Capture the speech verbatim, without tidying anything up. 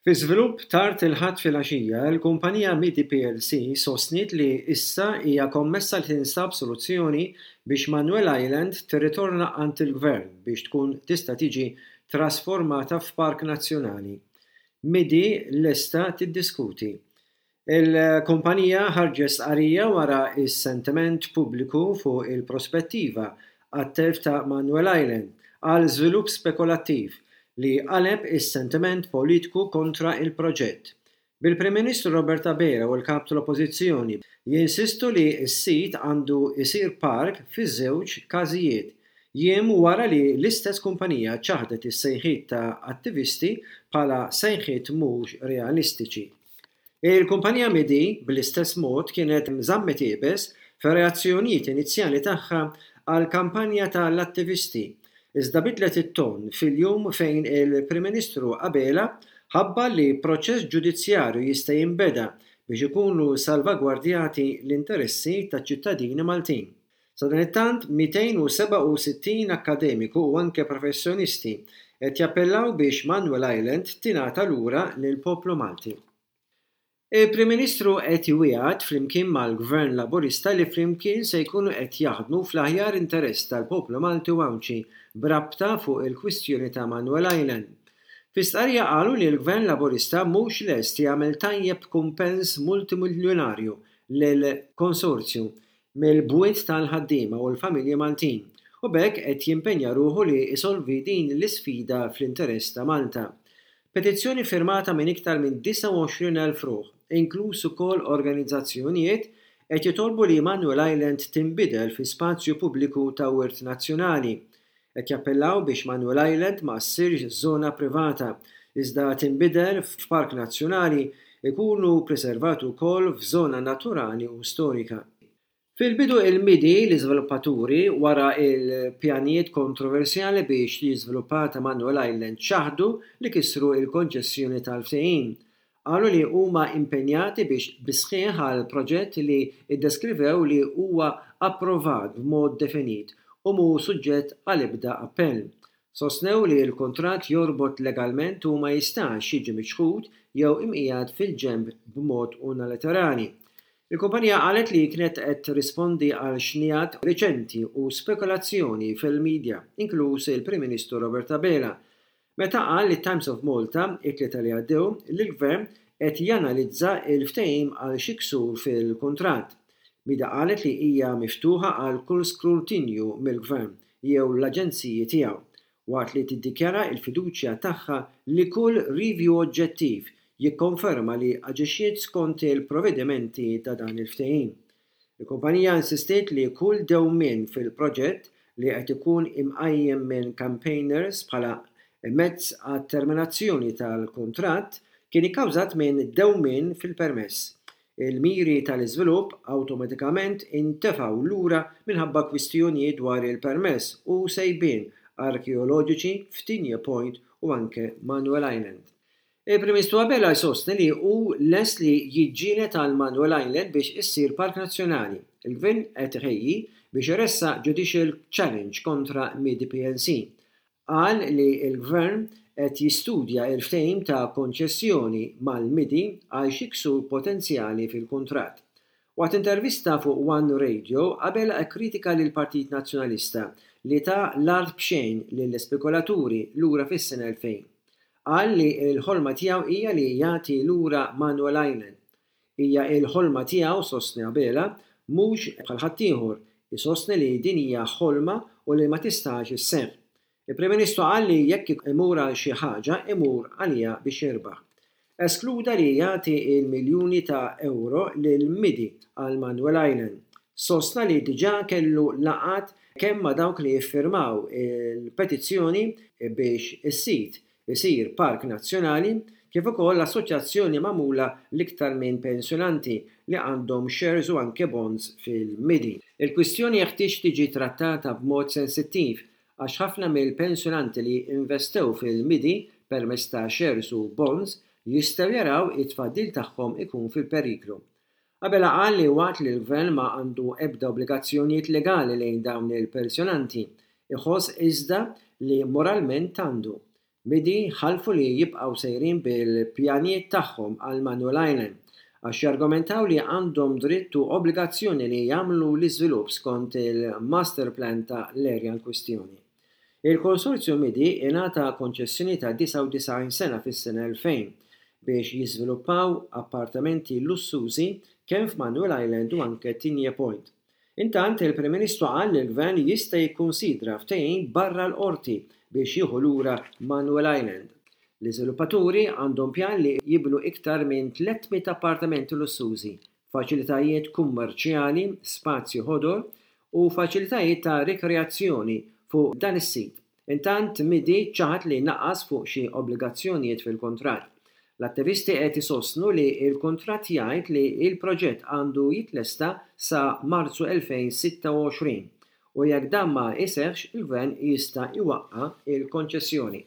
Fi żvilupp tard il-Ħadd filgħaxija, il-kumpanija Midi P L C sostniet li issa hija kommessa li tinstab soluzzjoni biex Manuel Island tirritorna għand il-gvern biex tkun tista' tiġi trasformata f'park nazzjonali. Midi lesta tiddiskuti. Il-kumpanija ħarġet stqarrija wara is-sentiment pubbliku fuq il-prospettiva għat-telf ta' Manuel Island għal żvilupp spekulattiv li qaleb is-sentiment politiku kontra il-proġett. Bil-Prim Ministru Robert Abela u l-kap tal-Oppożizzjoni jinsistu li s-sit għandu isir park fiż-żewġ każijiet. Jiem wara li l-istess kumpanija ċaħdet is-sejħiet ta' attivisti bħala sejħiet mhux realistiċi. Il-kumpanija Midi bl-istess mod kienet żammet iebes fir-reazzjonijiet inizjali tagħha għal kampanja tal-attivisti, iżda bidlet it-ton fil-jum fejn il-Prim Ministru Abela ħabbar li proċess ġudizzjarju jista' jinbeda biex ikunu salvagwardjati l-interessi taċ-ċittadini Maltin. Sadanittant, mitejn u sebgħa u sittin akademiku u anke professjonisti qed jappellaw biex Manuel Island tingħata lura lil poplu Malti. Il-Prim Ministru qed jwiegħed flimkien mal-Gvern Laburista li flimkien se jkunu qed jaħdmu fl-aħjar interess tal-poplu Malti u Għawdxi b'rabta fuq il-kwistjoni ta' Manuel Island. Fi stqarrija qalu li l-Gvern Laburista mhux lest jagħmel tajjeb kumpens multimiljonarju lil konsorzju mill-bwiet tal-ħaddiema u l-familji Maltin u b'hekk qed jimpenja ruħu li isolvi din l-isfida fl-interess ta' Malta. Petizzjoni firmata minn iktar minn disgħa u għoxrin elf ruħ, inkluż ukoll organizzazzjonijiet, qed jitolbu li Manuel Island tinbidel fi spazju pubbliku ta' wirt nazzjonali. Qed jappellaw biex Manuel Island ma ssirx żona privata, iżda tinbidel f'park nazzjonali, ikunu preservati wkoll f'żona naturali u storika. Fil-bidu, il-Midi, l-iżviluppaturi wara il-pjanijiet kontroversjali biex jiżviluppata Manuel Island, ċaħdu li kisru il-konċessjoni tal-ftehim. Qalu li huma impenjati biex bis-sħiħ għal proġett li iddeskrivew li huwa approvat b'mod definit u mhu suġġett għal ebda appell. Sostnew li l-kontratt jorbot legalment u ma jistax jiġi miċħud jew imqiegħed fil-ġenb b'mod unilaterali. Il-kumpanija qalet li kienet qed tirrispondi għal xnijat riċenti u spekulazzjoni fil-medja, inkluż il-Prim Ministru Robert Abela, meta qal li Times of Malta it-Tlieta li għaddew li l-gvern qed janalizza il-ftehim għal xi ksur fil-kuntratt. Midi qalet li hija miftuħa għal kull skrutinju mill-gvern jew l-aġenziji tiegħu, waqt li tiddikjara il-fiduċja tagħha li kull review oġġettiv jikkonferma li aġixxiet skont il-provvedimenti ta' dan il-ftehim. Il-kumpanija insistiet li kull dewmien fil-proġett li qed ikun imqajjem minn campaigners bħala mezz għat-terminazzjoni tal-kuntratt kien ikkawżat minn dewmien fil-permess. Il-miri tal-iżvilupp awtomatikament intefgħu lura minħabba kwistjonijiet dwar il-permess u sejbien arkeoloġiċi f'Tigné Point u anke Manuel Island. Il-Prim Ministru Abela jsostni li hu lest li jiġġieled għal Manuel Island biex issir park nazzjonali. Il-gvern qed iħejji biex iressaq judicial challenge kontra Midi P L C. Qal li l-gvern qed jistudja il-ftehim ta' konċessjoni mal-Midi għal xi ksur potenzjali fil-kuntratt. Waqt intervista fuq One Radio, Abela kritika lil Partit Nazzjonalista li ta l-art b'xejn lill-spekulaturi lura fis-sena elfejn. Qal li l-ħolma tiegħu hija li jagħti lura Manuel Island. Hija l-ħolma tiegħu, sostni Abela, mhux bħal ħaddieħor, isostni li din hija ħolma u li ma tistax isseħħ. Il-Prim Ministru qal li jekk imur għal xi ħaġa, imur għalija biex jirbaħ. Eskluda li jagħti il-miljuni ta' euro lil Midi għal Manuel Island. Sostna li diġà kellu laqgħat kemm ma' dawk li jiffirmaw il-petizzjoni biex is-sit isir park nazzjonali kif ukoll l-assoċjazzjoni magħmula l-iktar minn pensjonanti li għandhom shares u anke bonds fil-Midi. Il-kwistjoni jeħtieġ tiġi trattata b'mod sensittiv għax ħafna mill-pensjonanti li investew fil-Midi permezz ta' shares u bonds jistgħu jaraw it-tfaddil tagħhom ikun fil-periklu. Abela qal li waqt li l-gvern ma għandu ebda obbligazzjonijiet legali lejn dawn il-pensjonanti, iħoss iżda li moralment għandu. Midi ħalfu li jibqgħu sejrin bil-pjanijiet tagħhom għal Manuel Island għax jargumentaw li għandhom dritt u obbligazzjoni li jagħmlu l-iżvilupp skont il-master plan ta' l-area in kwistjoni. Il-konsorzju Midi ingħata konċessjoni ta' disgħa u disgħin sena fis-sena elfejn biex jiżviluppaw appartamenti lussużi kemm f'Manuel Island u anke Tigné Point. Intant, il-Prim Ministru qal li l-Gvern jista' jikkunsidra ftehim barra l-qorti biex jieħu lura Manuel Island. L-iżviluppaturi għandhom pjan li jibnu iktar minn tliet mitt appartamenti lussużi, faċilitajiet kummerċjali, spazji ħodor u faċilitajiet ta' rikreazzjoni fuq dan is-sit. Intant, Midi ċaħad li naqas fuq xi obbligazzjonijiet fil-kuntratt. L-attivisti qed isostnu li l-kuntratt jgħid li l-proġett għandu jitlesta sa Marzu elfejn sitta u għoxrin u jekk dan ma jseħħx il-Gvern jista' jwaqqa' l-konċessjoni.